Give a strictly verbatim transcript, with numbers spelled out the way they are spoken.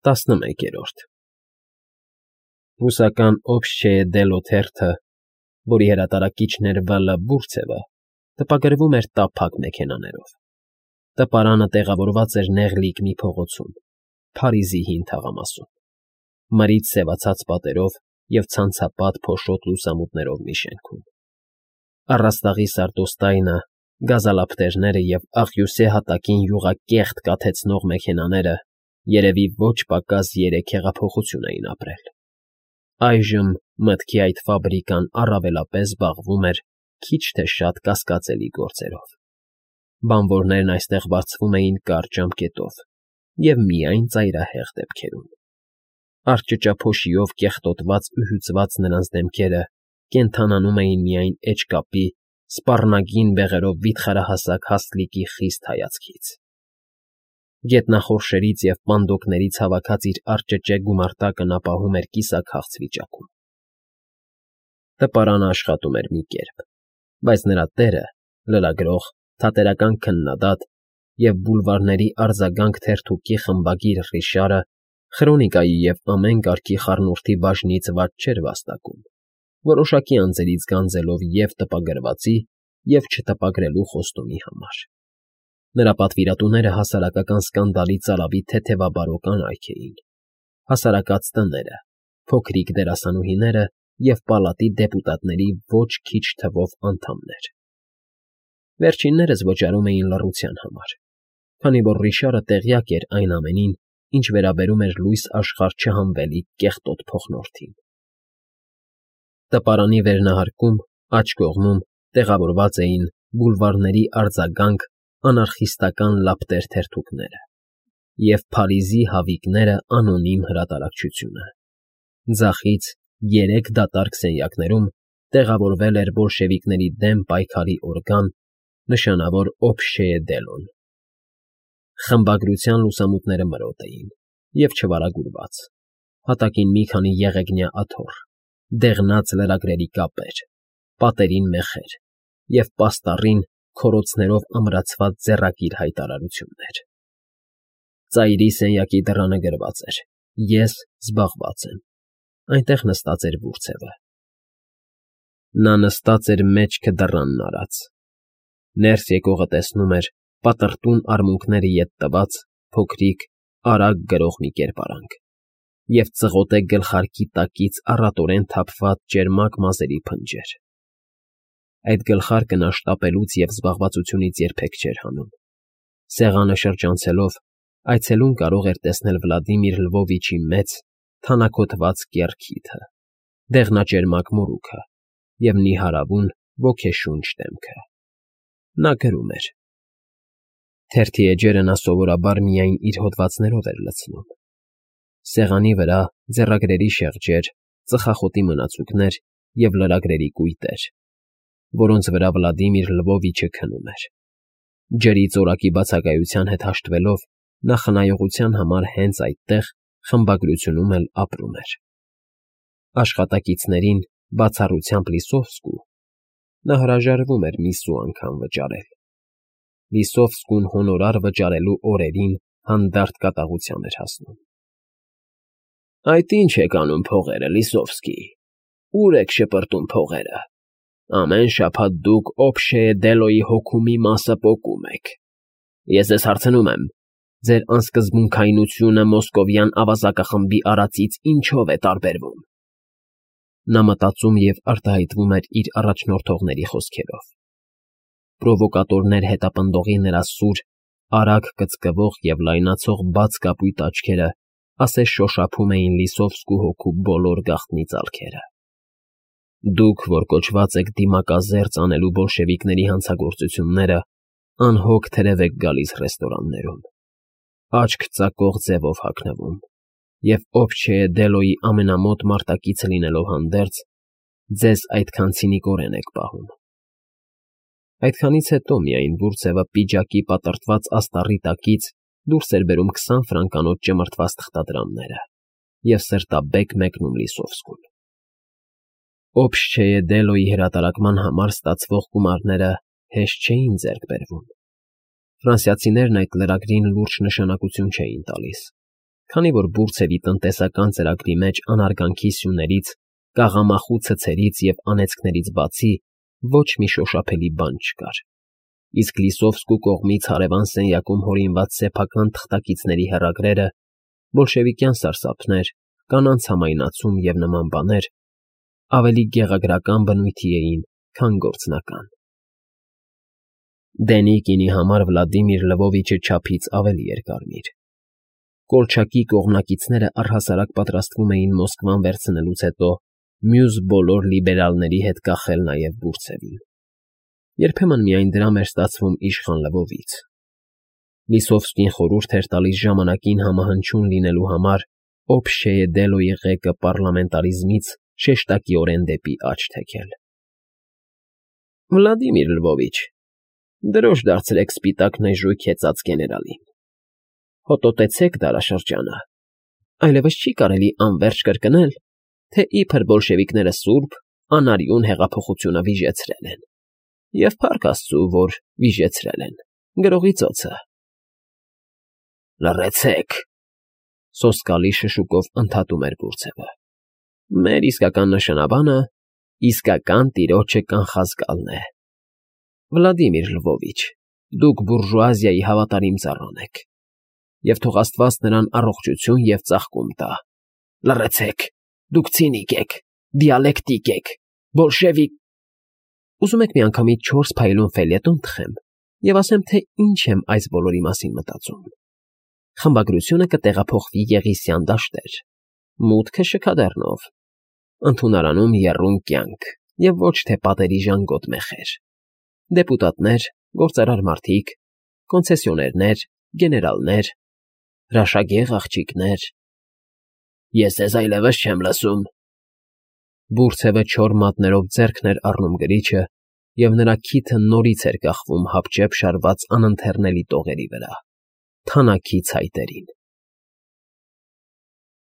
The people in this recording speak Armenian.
տասնմեկերորդ Ռուսական Օբշչեյե դելո թերթը, որի հրատարակիչն էր Վը Լը Բուրցևը, տպագրվում էր տափակ մեքենաներով. տպարանը տեղավորված էր նեղ լիկնի փողոցում, Փարիզի հին թաղամասում, մրից սևացած պատերով և ցանցապատ փոշոտ լուսամուտներով մի շենքում. առաստաղի սարդոստայնը, գազալապտերները և աղյուսե հատակին յուղակեղտ կաթեցնող մեքենաները երևի ոչ պակաս երեք հեղափոխություն էին ապրել. այժմ մտքի այդ ֆաբրիկան առավելապես զբաղվում էր քիչ թե շատ կասկածելի գործերով. բանվորներն այստեղ բարձվում էին կարճ ժամկետով և միայն ծայրահեղ դեպքերում. արճճափոշիով կեղտոտված ու հյուծված նրանց դեմքերը կենդանանում էին միայն էջկապի, սպառնագին բեղերով վիթխարահասակ հաստլիկի խիստ հայացքից. գետնախորշերից և պանդոկներից հավաքած իր արճճե գումարտակը նա պահում էր կիսաքաղց վիճակում. տպարանը աշխատում էր մի կերպ, բայց նրա տերը՝ լրագրող, թատերական քննադատ և բուլվարների արձագանք թերթուկի խմբագիր Ռիշարը Խրոնիկայի և ամեն կարգի խառնուրդի բաժնից վատ չէր վաստակում, որոշակի անձերից գանձելով և տպագրվածի, և չտպագրելու խոստումի համար. նրա պատվիրատուները հասարակական սկանդալի ծարավի թեթևաբարո կանայք էին, հասարակած տները, փոքրիկ դերասանուհիները և պալատի դեպուտատների ոչ քիչ թվով անդամներ. վերջիններս վճարում էին լռության համար, քանի որ Ռիշարը տեղյակ էր այն ամենին, ինչ վերաբերում էր լույս աշխարհ չհանվելի կեղտոտ փոխնորդին. տպարանի վերնահարկում, աջ կողմում, տեղավորված էին բուլվարների արձագանք անարխիստական լապտեր թերթուկները և Փարիզի հավիկները անոնիմ հրատարակչությունը. ձախից, երեք դատարկ սենյակներում տեղավորվել էր բոլշևիկների դեմ պայքարի օրգան, նշանավոր Օբշչեյե դելոն. խմբագրության լուսամուտները մրոտ էին և չվարագուրված, հատակին մի քանի եղեգնյա աթոռ, դեղնած լրագրերի կապեր, պատերին մեխեր և պաստառին քորոցներով ամրացված ձեռակիր հայտարարություններ. ծայրի սենյակի դռանը գրված էր. «Ես զբաղված եմ», այնտեղ նստած էր Բուրցևը. նա նստած էր մեջքը դռանն արած, ներս եկողը տեսնում էր պատրտուն արմունկները ետ տված, փոքրիկ, արագ գրող մի կերպարանք և ծղոտե գլխարկի տակից առատորեն թափված ճերմակ մազերի փնջեր. այդ գլխարկը նա շտապելուց և զբաղվածությունից երբեք չէր հանում. սեղանը շրջանցելով, այցելուն կարող էր տեսնել Վլադիմիր Լվովիչի մեծ, թանաքոթված կեռ քիթը, դեղնաճերմակ մորուքը և նիհարավուն, ոգեշունչ դեմքը. նա գրում էր. թերթի էջերը նա սովորաբար միայն իր հոդվածներով էր լցնում. սեղանի վրա ձեռագրերի շեղջեր, ծխախոտի մնացուկներ և լրագրերի կույտեր, որոնց վրա Վլադիմիր Լվովիչը քնում էր. ջրի ծորակի բացակայության հետ հաշտվելով, նա խնայողության համար հենց այդտեղ, խմբագրությունում էլ ապրում էր. աշխատակիցներին, բացառությամբ Լիսովսկու, նա հրաժարվում էր մի սու անգամ վճարել. Լիսովսկուն հոնորար վճարելու օրերին հանդարտ կատաղության էր հասնում. Այդ ի՞նչ եք անում փողերը, Լիսովսկի, ո՞ւր եք շպրտում փողերը, ամեն շաբաթ դուք Օբշչեյե դելոյի հոգու մի մասը պոկում եք, ես ձեզ հարցնում եմ, ձեր անսկզբունքայնությունը մոսկովյան ավազակախմբի արածից ինչո՞վ է տարբերվում. նա մտածում և արտահայտվում էր իր առաջնորդողների խոսքերով. պրովոկատորներ հետապնդողի նրա սուր, արագ կծկվող և լայնացող բաց կապույտ աչքերը ասես շոշափում էին Լիսովսկու հոգու բոլոր գաղտնի ծալքերը. դուք, որ կոչված եք դիմակազերծ անելու բոլշևիկների հանցագործությունները, անհոգ թրև եք գալիս ռեստորաններում, աչք ծակող ձևով հագնվում և Օբշչեյե դելոյի ամենամոտ մարտակիցը լինելով հանդերձ, ձեզ այդքան ցինիկորեն եք պահում. Այդքանից հետո միայն Բուրցևը պիջակի պատրտված աստառի տակից դուրս էր բերում քսան ֆրանկանոց ճմրթված թղթադրամները և սրտաբեկ մեկնում Լիսովսկուն. Օբշչեյե դելոյի հրատարակման համար ստացվող գումարները հեշտ չէին ձեռք բերվում. ֆրանսիացիներն այդ լրագրին լուրջ նշանակություն չէին տալիս, Քանի որ բուրդցևի տնտեսական ծրագրի մեջ անարգանքի սյուներից, կաղամախու ցցերից և անեծքներից բացի ոչ մի շոշափելի բան չկար, իսկ Լիսովսկու կողմից հարևան սենյակում հորինված սեփական թղթակիցների հեռագրերը, բոլշևիկյան սարսափներ, կանանց համայնացում և նման բաներ ավելի գեղագրական բնույթի էին, քան գործնական։ Դենիկինի համար Վլադիմիր Լվովիչը չափից ավելի էր կարմիր։ Կոլչակի կողմնակիցները առհասարակ պատրաստվում էին Մոսկվան վերցնելուց հետո մյուս բոլոր լիբերալների հետ կախել նաև բուրդցևին։ Երբեմն միայն դրամ էր ստացվում իշխան Լվովից։ Լիսովսկին խորհուրդ էր տալիս ժամանակին համահնչյուն լինելու համար օբշչեյե դելոյի ղեկը պառլամենտարիզմից շեշտակիորեն դեպի աջ թեքել։ ֊ Վլադիմիր Լվովիչ, դրոշ դարձրեք սպիտակ նժույգ հեծած գեներալին, հոտոտեցեք դարաշրջանը, այլևս չի կարելի անվերջ կրկնել, թե իբր բոլշևիկները սուրբ, անարյուն հեղափոխությունը վիժեցրել են, և փառք աստծու, որ վիժեցրել են, գրողի ծոցը։ ֊ Լռեցեք,֊ սոսկալի շշուկով ընդհատում էր բուրդցևը։ Մեր իսկական նշանաբանը իսկական տիրոջը կանխազգալն է։ Վլադիմիր Լվովիչ, դուք բուրժուազիայի հավատարիմ ծառան եք, և թող աստված նրան առողջություն և ծաղկում տա։ Լռեցեք, դուք ցինիկ եք, դիալեկտիկ եք, բոլշևիկ… Ուզում եք միանգամից չորս փայլուն ֆելյետոն թխեմ և ասեմ, թե ինչ եմ այս բոլորի մասին մտածում։ Խմբագրությունը կտեղափոխվի Եղիսյան դաշտեր, մուտքը շքադեռնով, ընդունարանում եռուն կյանք և ոչ թե պատերի ժանգոտ մեխեր, դեպուտատներ, գործարար մարդիկ, կոնցեսիոներներ, գեներալներ, հրաշագեղ աղջիկներ… Ես ձեզ այլևս չեմ լսում… Բուրդցևը չոր մատներով ձեռքն էր առնում գրիչը, և նրա քիթը նորից էր կախվում հապճեպ շարված անընթեռնելի տողերի վրա, թանաքի ցայտերին։